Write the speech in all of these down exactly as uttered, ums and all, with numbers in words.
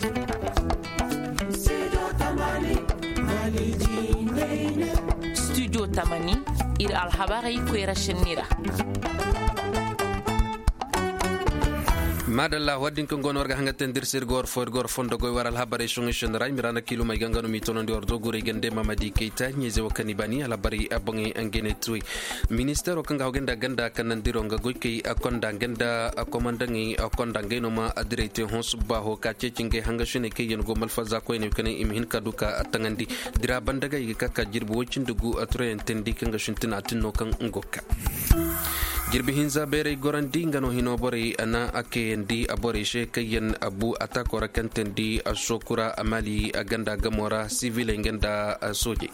Studio tamani, ir alhabarey koyra šenni ra. Maadalla, war din kaŋ go no war ga haŋa te nda ir se ir ga war fo ir ga war fondo goy war alhabarey soŋay šenni ra i ma ra na kiilumey ga nga no m'i toonandi war do guray gande mamadi kayta ɲeeze wo kaŋ i baani alhabarey boŋey ngey ne tuwey. Ministeero kaŋ ga hawgay nda ganda kanandiro nga goykey konda nga nda komandaŋey konda ngey no ma direy te hõ subbaaho ka ceeci ngey hangasiney kaŋ yaŋ go malfaza koyney kaŋ i ma hin ka du ka taŋandi. Dira banda ga i ga ka ka jirbi woy cindi gu turayaŋ teendi kaŋ ga sintina tin no kaŋ nga go ka jirbi hinza bayray gorandi nga no hino borey na a kayandi borey se kaŋ yaŋ bu ataako ra kaŋ teendi sokura mali ganda gamo ra siviley nga nda soojey.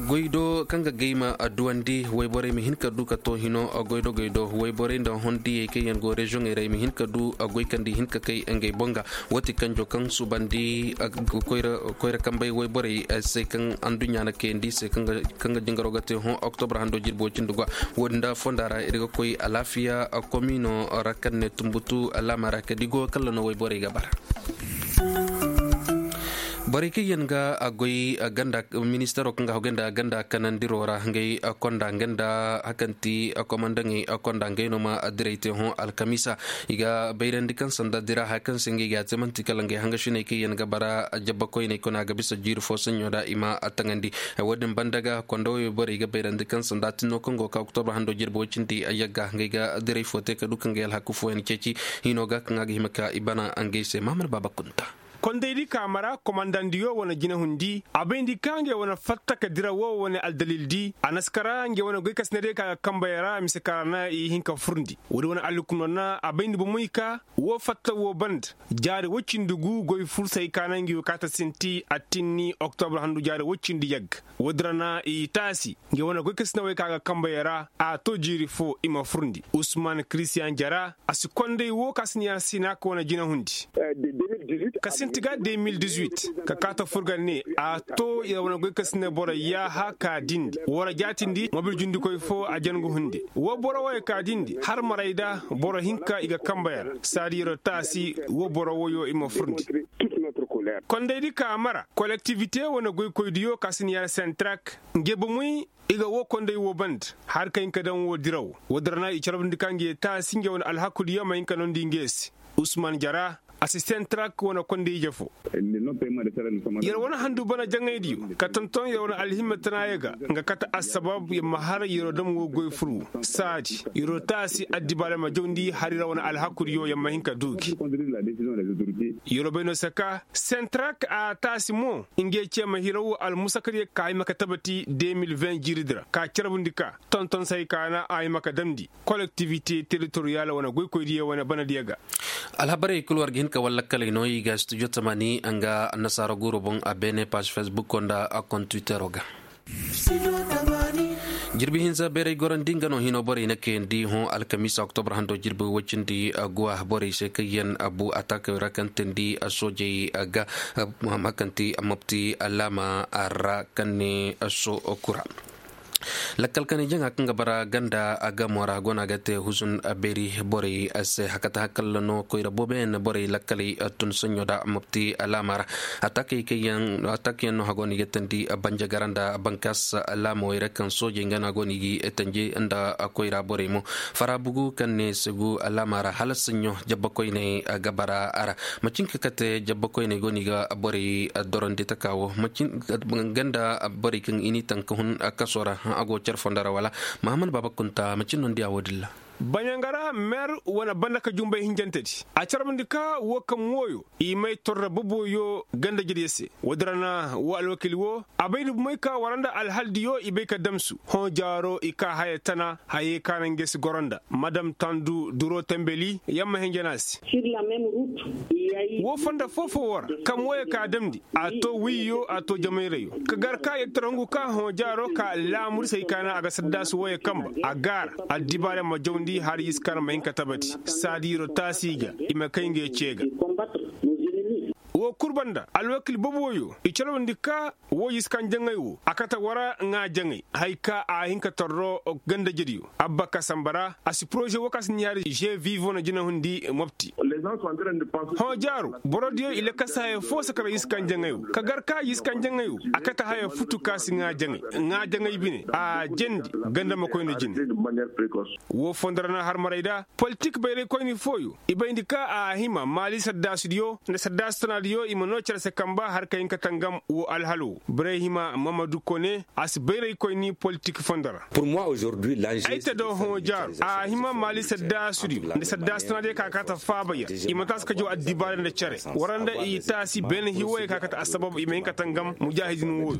Goy do kaŋ ga gay ma duwandi wayborey ma hin ka du ka to hino goy do goy do wayborey nda hondiyey kaŋ yaŋ go reziyoŋey ra i ma hin ka du goy kaŋ nda i hin ka kay ngey boŋ ga. Wati kanjo kaŋ subandi koyra kambey wayborey se kaŋ anduɲɲa na kayandi se kaŋ ga jingaro ga te hõ oktobra hando jirbo cindi gwa. Wo-din da fonda ra ir ga koy alaafiya komino ra kaŋ ne tumbutu alaama ra kadi go kalla no wayborey ga bara. Borey kaŋ yaŋ ga a goy ganda ministeero kaŋ ga hawgay nda ganda kanandiro ra ngey konda nga nda hakanti komandaŋey konda ngey no ma direy te hõ alkamiisa. I ga bayrandi kaŋ sanda dira haya kaŋ se ngey ga a te man'ti kala ngey hangasiney kaŋ yaŋ ga bara jabba koyney kuna ga bisa jiiri fo saɲɲo da i ma a taŋandi. Wo-din banda ga konda wo borey ga bayrandi kaŋ sanda tinno kaŋ go ka oktobra hando jirbi wo cindi yagga ngey ga direy fo te ka du ka ngey alhaku fooyaŋ ceeci. Hino ga kaŋ a ga hima ka i bana ngey se mahamad baaba kunta. Kondaydi ka mara komandandiyo wane jinahundi a bayndi ka ngey wane fatta ka dira wo wane aldalildi a na si kara ngey wane goy ka sinadiyo ka ga kambey ra mise ka ra na i hin ka furndi. Woodi wane alhukuno na a bayndi bomoy ka wo fatta wo banda jaari woy cindi gu goy fursay ka na ngey wo kaata sinti attinni oktobra handu jaari woy cindi yagga. Woodi ra na i taasi ngey wane goy ka sinawey ka ga kambey ra a to jiiri fo i ma furndi usman kiristiyan jara. A si konday wo ka si ni a si na ka wane jinahundi ka sinti ga de mil dizuit ka kaata furga ne a to yer wane goy ka si ne boro yaaha ka dindi wara jaatindi mobil jundikoy fo a jangu hunde. Wo boro wo ye ka dindi har maray da boro hinka i ga kamba yer saadi yer taasi wo boro woyo i ma furndi. Kondaydi ka mara kolektivite wane goykoydiyo ka si ni a sentrak nge bomoy i ga wo konday wo banda har ka hin ka daŋ wo diraw. Woodin ra na i carbundi ka nge taasi nge wane alhakudiyo ma hin ka noondi nge se. Usman jara asisten trak wane konday ije fo. Yer wane handu bana jaŋaydiyo ka tonton yer wane alhimma tana ye ga nga kate assabab yer ma har yer dam wo goy furu saadi yer taasi addibaale ma jawndi har yer wane alhakudiyo yer ma hin ka du gi. Yer bay no saka sentrak a taasi mo nge ce ma hiraw almusakariya ka ay ma ka tabati de mil ven jiiridi ra ka carbundi ka tonton say ka na ay ma ka damndi. Kolektivite teritoriyal wane goykoydiyo wane banadiyo ga. Alhabarey kul war ga hin ka wallakkaley no i ga studio tamani nga annasaara guuro boŋ a beene page facebook nda a kon twittero ga. Jirbi hinza beeray gorandi nga no hino borey na kayandi hõ alkamiisa oktobar hando jirbi woy cindi guwa borey se kaŋ yaŋ bu atakey ra kaŋ teendi soojey ga. Hakanti mopti alaama ra kaŋ ne so kura. Lakkal kanay jaŋa kaŋ ga bara ganda gamo ra go no a ga te huzun beeri borey se hakata hakalla no koyra booboyaŋ na borey lakkaley tun saɲɲo da mopti alaama ra. Atakey kaŋ yaŋ no a go no i ga teendi banjagara nda bankaas alaamawey ra kaŋ soojey nga no a go no i ga tanji nda koyra borey mo. Fara bugu kaŋ ne segu alaama ra hala saɲɲo jabba koyney ga bara a ra. Macin ka kate jabba koyney go no i ga borey dorandi taka wo macin ganda borey kaŋ i n'i taŋ ka hun kaso ra a go care fondo ra wala. Mahamman baaba kunta macin no ni diya wo-din ra. Baɲangara meer wane banda ka jumbay hinjantedi a carbundi ka wo kaŋ wooyo i may torra boboyo ganda jediyo se. Woodin ra na wo alwakil wo a bay ni bumey ka wara nda alhaldiyo i bay ka damsu hõ jaaro i ka haya tana hayey ka naŋ nge si goro nda madam tandu duro tembeli yamma hinja no a se. Wo fonda foo-foo wo ra kaŋ wooyo ka damndi a to wiiyo a to jamayrayyo ka gar ka yer tara hungu ka hõ jaaro ka laamurisey ka naŋ a ga saddaasu wooyo kamba a gaara addibaarey ma jawndi har yer si kar ma hin ka tabati saadi yer taasi i ga i ma kay ngey ce ga. Wo kul banda alwakil boboyo i calawandi ka wo yiskan jaŋay wo a kate war ŋaa jaŋay haya ka a hin ka torro gandajediyo abba ka samba ra. A si poroze wo ka si ɲaari je vivo na jinahundi mopti. Hõ jaaru borodiyo i lakasa haya fo sakara yiskan jaŋay wo ka gar ka yiskan jaŋay wo a kate haya futu ka si ŋaa jaŋay ŋaa jaŋay bine a jendi ganda ma koy nda jine. Wo fondo ra na harmaray da politik bayraykoyni fooyo i bayndi ka a hima maali saddaasidiyo nda saddaasi tanaadiyo i ma noo cere se kamba har ka hin ka tangam wo alhalo wo birayhima mamadu kone a si bayraykoyni politik fondo ra. Ay te do hõ jaaru a hima maali saddaasidiyo nda saddaasi tanaadiyo ka kaata faaba yer i ma taasi ka jaw addibaare nda cere wara nda i taasi bene hiwoyey ka kaata assabab i ma hin ka tangam mujaahidin wooyo.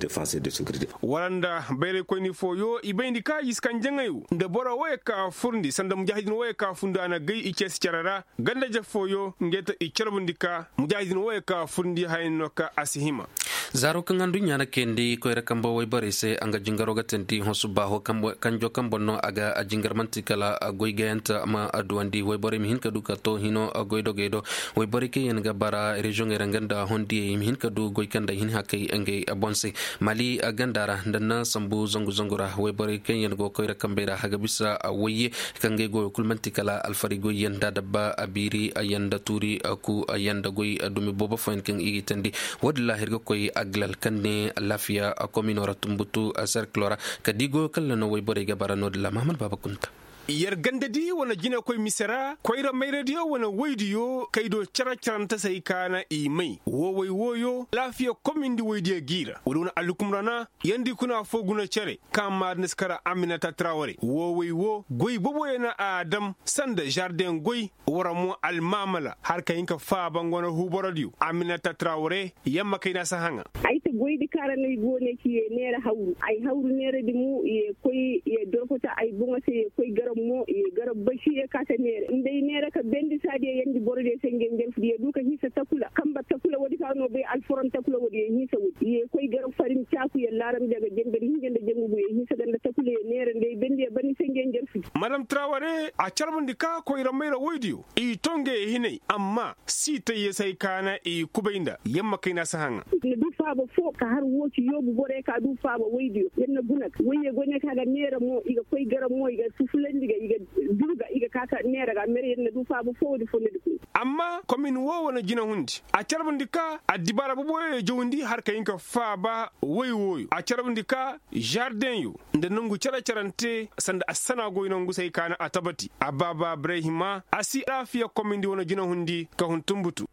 Wara nda bayraykoyni fooyo i bayndi ka yiskan jaŋay wo nda boro woyey ka furndi sanda mujaahidin woyey ka fundu a na gay i ceesi cere ra. Ganda-ize fooyo ngey te i carbundi ka mujaahidin woyey ka furndi haya no ka a si hima. Zaaro kaŋ adduɲɲa na kayandi koyra kambe wayborey se a nga jingaro ga teendi hõ subbaaho kanjo kaŋ boŋ no a ga a jingar man'ti kala goy gayante ma duwandi wayborey ma hin ka du ka to hino goy dogey do. Wayborey kaŋ yaŋ ga bara reziyoŋey ra nga nda hondiyey i ma hin ka du goy kaŋ nda i hin hakay ngey boŋ se. Mali ganda ra nda na sambu zangu zangu ra wayborey kaŋ yaŋ go koyra kambey ra a ga bisa wayye kaŋ ga ay goyo kulu man'ti kala alfari goyyaŋ nda dabba a biiri yaŋ nda tuuri ku yaŋ nda goy dumi boobo fooyaŋ kaŋ i ga i teendi. Wo-din ra ir ga koy agilal kaŋ ne alaafiya komino ra tumbutu serkilo ra ka di goyo kaŋ ra no wayborey ga bara no-din ra mahamad baaba kunta. Yer gandadi wane jinekoy mise ra koyra mayradiyo wane woydiyo kaydo cere-cerante se ay kaana i may woowey wooyo alaafiya komindi woydiyo g'i ra woodi wane alhukum ra na yandi kuna foo guna cere kaŋ maadin si kara aminata traware woowey woo goy boboyaŋ na a dam sanda zardeŋ goy. Wara mo almaamala har ka hin ka faaba nga wane huuborodiyo aminata traware. Yamma kayna si haŋa. Ay ta goydi kaŋ ra no ay go ne ci ye neera hawru ay hawru neeradi mo ye koy ye dorfota ay boŋo se ye koy garab mo ye garab basi ye kaata neera nda ay neera ka bendi saadiyo yandi borodiyo se ngey njarfudi ye du ka hinsa takula kamba takula woodi ka no bay alforon takula woodi ye hinsa woodi ye koy garab farin caaku ye laaramdi a ga jambedi hinja nda jangugu ye hinsa ganda takula ye neera nda ay bendi ye bani se ngey njarfudi. Madam traware a carbundi ka koyra mayra woydiyo i to ngey hinay amma siitay ye se ay kaana i kubay nda yamma kayna si haŋa. Yer na du faaba foo ka har woo ci yoobu borey ka du faaba woydiyo yer na guna ga woyye goy ne ka ga neera mo i ga koy garab mo i ga fufulandi ga i ga du ga i ga ka ka neera ga mere yer na du faaba foo woodi foo nda di koy. Amma komin woo wane jinahundi a carbundi ka addibaara boboyo ye jawndi har ka hin ka faaba woy wooyo a carbundi ka zardeŋyo nda nongu cere-cerante sanda assana goy nongu se ay kaana a tabati a baaba birayhima a si alaafiya komindi wane jinahundi ka hun tumbutu.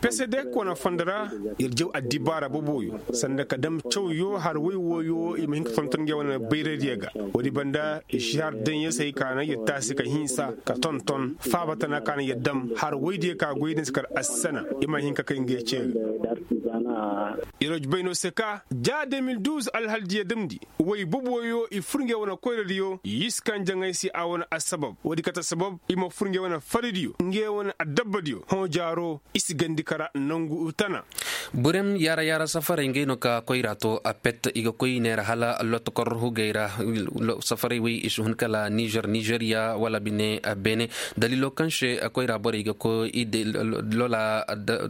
Pesedek wane fondo ra yer jaw addibaara boboyo sanda ka dam cawyo har woy wooyo i ma hin ka tonton ngey wane bayradiyo ga woodi banda zardeŋyo se ay kaana yer taasi ka hinsa ka tonton faaba tana kaana yer dam har woydiyo ka goy din si kar assana i ma hin ka kay ngey cee ga. Yer wa jubay no se ka ja de mil duuz alhaldiyo damndi woy boboyo i fur ngey wane koyradiyo yiskan jaŋay se a wane assabab woodi kate sabab i ma fur ngey wane faridiyo ngey wane addabbadiyo hõ jaaro i si gandi kara nongu tana. Burem yaara yaara safarey ngey no ka koyra to a pet i ga koy neera hala lotokor hugey ra. Safarey wey i si hun kala nizer nizeriya wala bine beene daliilo kaŋ se koyra borey ga koy i de lola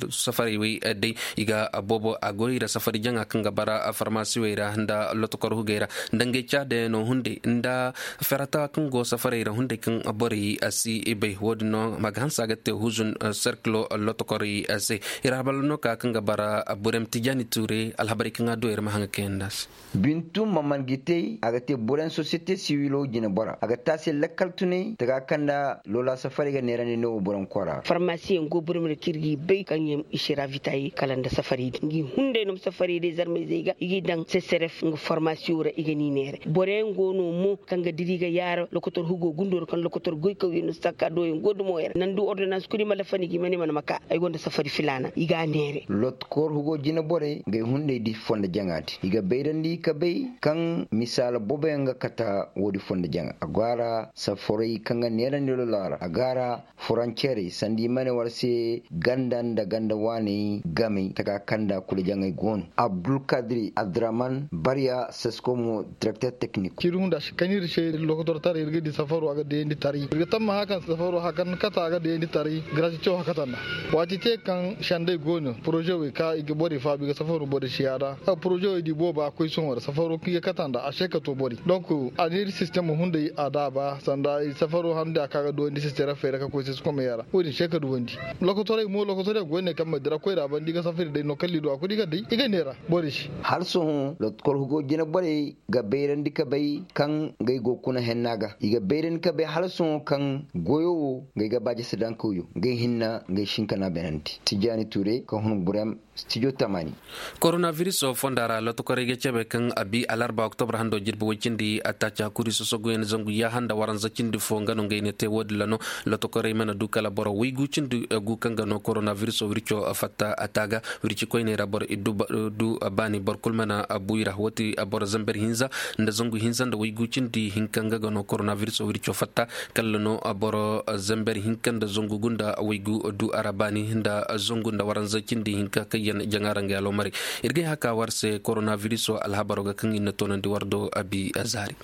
safarey wey day i ga boobo a goy ra safari jaŋa kaŋ ga bara farmasiwey ra nda lotokor hugey ra nda ngey caadayano hunday nda ferata kaŋ go safarey ra hunday kaŋ borey si bay wo-din no ma ga hanse a ga te huzun serkilo lotokorey se. Ir habalo no ka kaŋ ga bara burem tijani ture alhabarey kaŋ a du ir ma haŋa kayanda se. Bintu maman gitey a ga te burem sosiyete siwilo jinebora a ga te a se lakkal tuney taga kaŋ nda lola safarey ga neerandi no burem kora. Farmasiyeŋ go burem ra kaŋ ir g'i bay kaŋ yaŋ i si ravitaye kala nda safarey di ngi hunday no ma safarey day zarmayzey ga i g'i daŋ sesseref nga farmasiyo ra i ga n'i neere boroyaŋ go no mo kaŋ ga diri ga yaara lokotor hugo gundo ra kaŋ lokotor goykawyaŋ no si taka doyaŋ go dumo yaŋ ra nandu ordonans kudi ma lafani gi ma ne mana ma ka ay gonda safari filaana i g'a neere. Lot Kor hugo jine borey ngay hunday di fondo jaŋa di i ga bayrandi ka bay kaŋ misaala boboyaŋ ga kata woodi fondo jaŋa a go a ra safaray kaŋ ga neerandi lolora a go a ra. Foroncerey sanda i ma ne war se ganda nda ganda waaney gamey taka kaŋ nda kulu jaŋey go no. Abdulkadiri abdurahman barya seskomo direkter teknik. Kaŋ ir se lokotortaray ir ga di safaro a ga dayandi taray ir ga tamma haka safaro haka nda kata a ga dayandi taray. Garasi caw haka tanda waati te kaŋ sendey go no poroze wey ka i ga borey faabu i ga safaro borey si yaada. Poroze wey di boobo a koy sohõ ra safaro kaŋ i ga kata nda a se ka to borey donk a ne ir sistem hunday a daaba sanda safaro handi a ka ga duwandi sistem ra feera ka koy se si komey a ra wo-din se ka duwandi. Lokotorey mo lokotorey go ne kaŋ ma dira koy ra banda i ga safari day no kaŋ liidu a kulu i ga day i ga neera borey se. Hala sohõ lokotor hugo jine borey ga bayrandi ka bay kaŋ ngay go kuna henna ga i ga bayrandi ka bay hala sohõ kaŋ goyo wo ngay ga baaje si daŋ kawyo ngay hinna ngay sinkana benandi. Tijaani ture ka hun burem. Studio tamani. Koronabiriso fonda ra lotokorey ga cebe kaŋ a bi alarba oktobar hando jirbi way cindi attaaci hakuri sosoguyaŋ zangu yaaha nda waranza cindi fo nga no ngey ne te wo-din ra no. Lotokorey mana du kala boro waygu cindi gu kaŋ ga no koronabiriso wirco fatta a taaga wirci koyney ra boro iddu du baani boro kulu mana buy ra wati boro zamber hinza nda zangu hinza nda waygu cindi hinka nga ga no koronabiriso wirco fatta. Kalla no boro zamber hinka nda zangu gunda waygu du a ra baani nda zangu nda waranza cindi hinka kaŋ yaŋ jaŋa ra nga aloomarey. Ir ga ay haka war se koronabiriso alhabaro ga kaŋ ir na toonandi war do abi zaari.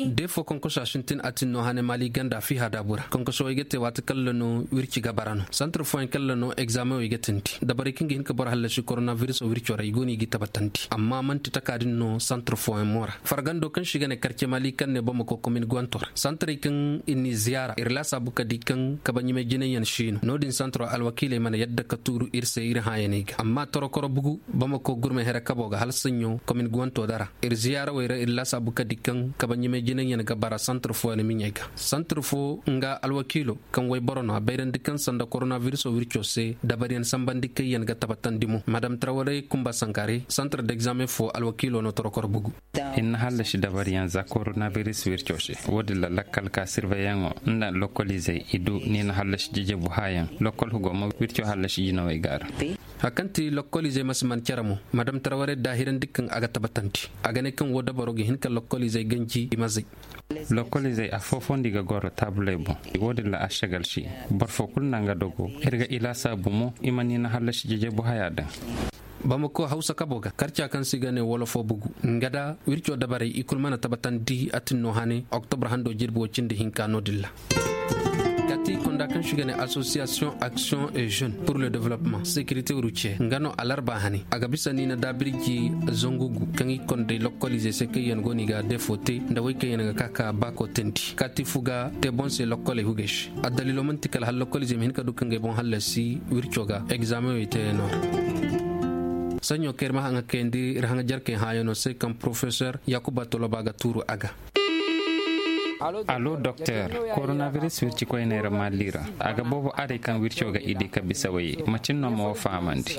Defo konkoso a sintin a tin no hane maali ganda fiha daabu ra konkoso way ga te waati kalla no wirci ga bara no santar fooyaŋ kalla no egzaameŋ way ga tindi dabarey kaŋ ga hin ka boro hallasi koronabiriso wirco ra i go no i ga i tabatandi amma man'ti taka din no santar fooyaŋ mo ra. Fargando kaŋ se i ga ne karce maali kaŋ ne bamako komin guwanto ra santarey kaŋ ir n'i ziyaara ir laasaabu ka di kaŋ kabaɲimay jinayyaŋ si no no-din santaro alwakiiley mana yadda ka tuuru ir se ir hãayaney ga amma torokoro bugu bamako gurmay here kabo ga hala saɲɲo komin guwanto dara ir ziyaarawey ra ir laasaabu ka di kaŋ kabaɲimay jinayyaŋ ga bara santar fooyaŋ miɲey ga santar fo nga alwakiilo kaŋ wayboro no a bayrandi kaŋ sanda koronabiriso wirco se dabaryaŋ sambandi kaŋ yaŋ ga tabatandi mo madam tarawarey kumba sankare santar degzaameŋ fo alwakiilo no torokoro bugu. Ir na hallasi dabaryaŋ za koronabiris wirco se wo-din ra lakkal ka sirveyaŋo nda lokkolizey i du ni na hallasi jejebu haayaŋ lokkol hugo ma wirco hallasi jinawey ga ra. Hari kaŋ ti lokkolizey ma si man cere mo madam taraware daahirandi kaŋ a ga tabatandi a ga ne kaŋ wo dabaro ga hin ka lokkolizey ganji i ma zay. Lokkolizey afoofondi ga goro taabuley boŋ wo-din ra a sagal si boro fo kulu na nga dogo ir ga i laasaabu mo i ma ni na hallasi jejebu haya daŋ. Bamako hawsa kabo ga karca kaŋ se i ga ne wolofo bugu nga da wirco dabarey i kulu mana tabatandi a tin no hane oktobre hando jirbi wo cindi hinka no-din ra. Kaati konda kaŋ se i ga ne association action et jeune pour le développement sécurité routière nga no alarba hane a ga bisa niina daabirji zangu gu kaŋ i konday lokolize se kaŋ yaŋ go no i ga defo te nda wey kaŋ yaŋ ga ka ka baako teendi kaati fu ga te boŋ se lokoley hugey se. Addaliilo man'ti kala hala lokolizey ma hin ka du ka ngey boŋ hallasi wirco ga egzaameŋey teeyaŋo ra. Saɲɲo kaŋ ir ma haŋa kayandi ir haŋa jarkey hãayaŋo se kaŋ porofesor yaakuba toloba ga tuuru a ga. Alo doktor, koronabiris wirci koyney ra maali ra a ga boobo arey kaŋ wirco ga i di ka bisa way macin no ma wo fahamandi.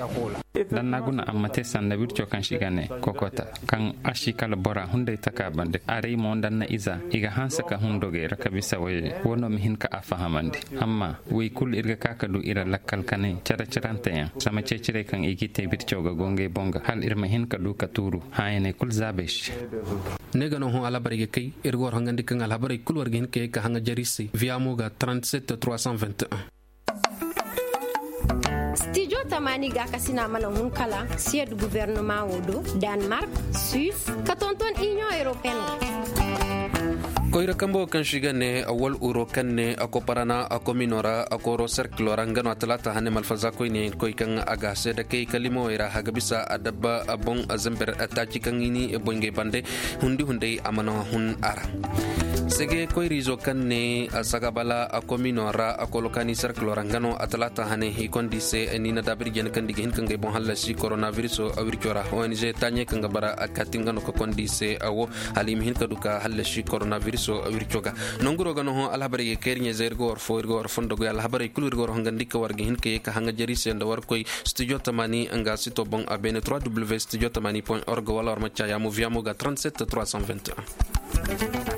Danna guna amma te sanda wirco kaŋ si ga ne kokota kaŋ a si kala bora hunday taka bande arey mo danna iza i ga hanse ka hun dogey ra ka bisa way wo no ma hin ka a fahamandi. Amma wey kulu ir ga ka ka du ira lakkal kanay care-caranteyaŋ sama ceeciray kaŋ i g'i te wirco ga go ngey boŋ ga hala ir ma hin ka du ka tuuru hãayaney kulu zaabey se. Ne ga no hõ alhabarey ga kay ir ga war hangandi kaŋ alhabarey kulu war ga hin ka ye ka haŋa jari se viya mo ga trente-sept trois cent vingt et un. Stijo tamaani gaakasina mana hun kala siyed guvernama wo do, danmark, suis, ka tonton inion europeen. Koyra kambo kaŋ si ga ne awal uro kaŋ ne a koparana a komino ra a koro serkilo ra nga no a talaata hane malfaza koyne koy kaŋ a ga seeda kay kalimowey ra a ga bisa a dabba boŋ a zamber taaci kaŋ i ni boy ngey bande. Hundi hunday a mana hun a ra. Sege koyriizo kaŋ ne sagabala a komino ra a kolo kaani serkilo ra nga no a talaata hane i kondi se ni na daabir jene kaŋ di ga hin ka ngey boŋ hallasi koronabiriso a wirco ra ong taaɲey kaŋ ga bara a kaati nga no ka kondi se a wo. Hala i ma hin ka du ka hallasi koronabiriso wirco ga. Nonguro ga no hõ alhabarey ga kay ir ɲayzey ir ga war fo ir ga war fondo goy alhabarey kulu ir ga war hongandi ka war ga hin ka ye ka haŋa jari se nda war koy studio tamani nga sito boŋ a beene trois w studio tamani point org wala war ma caayaamo viyamo ga trente-sept trois cent vingt et un.